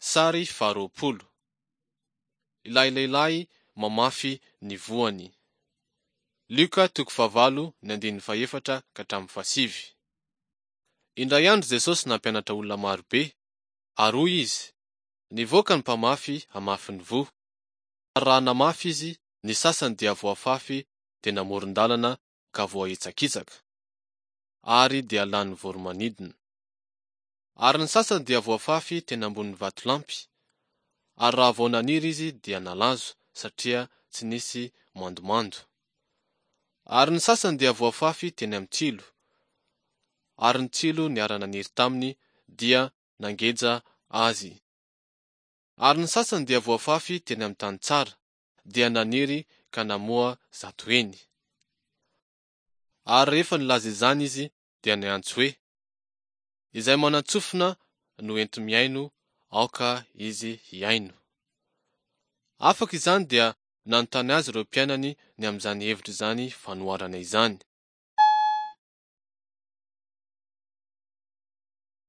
Sary faharoapolo. Ilay lehilahy mamafy ny voany. Lioka toko fahavalo ny andininy fahefatra ka hatramin'ny fahasivy. Indray andro Jesosy nampianatra olona marobe, ary hoy Izy, Nivoaka ny mpamafy hamafy ny voa. Ary raha namafy izy, ny sasany dia voafafy teny amoron-dalana ka voahitsakitsaka, ary dia lanin'ny voro-manidina. Ary ny sasany dia voafafy teny ambonin'ny vatolampy, ary raha vao naniry izy dia nalazo, satria tsy nisy mandomando. Ary ny sasany dia voafafy teny amin'ny tsilo, ary ny tsilo niara-naniry taminy dia nangeja azy. Ary ny sasany dia voafafy teny amin'ny tany tsara, dia naniry ka namoa 100 heny. Ary rehefa nilaza izany izy dia niantso hoe, Izay manan-tsofina no enti-mihaino, aoka izy hihaino. Afaka izany dia nanontany azy ireo mpianany ny amin'izany hevitra izany fanoharana izany.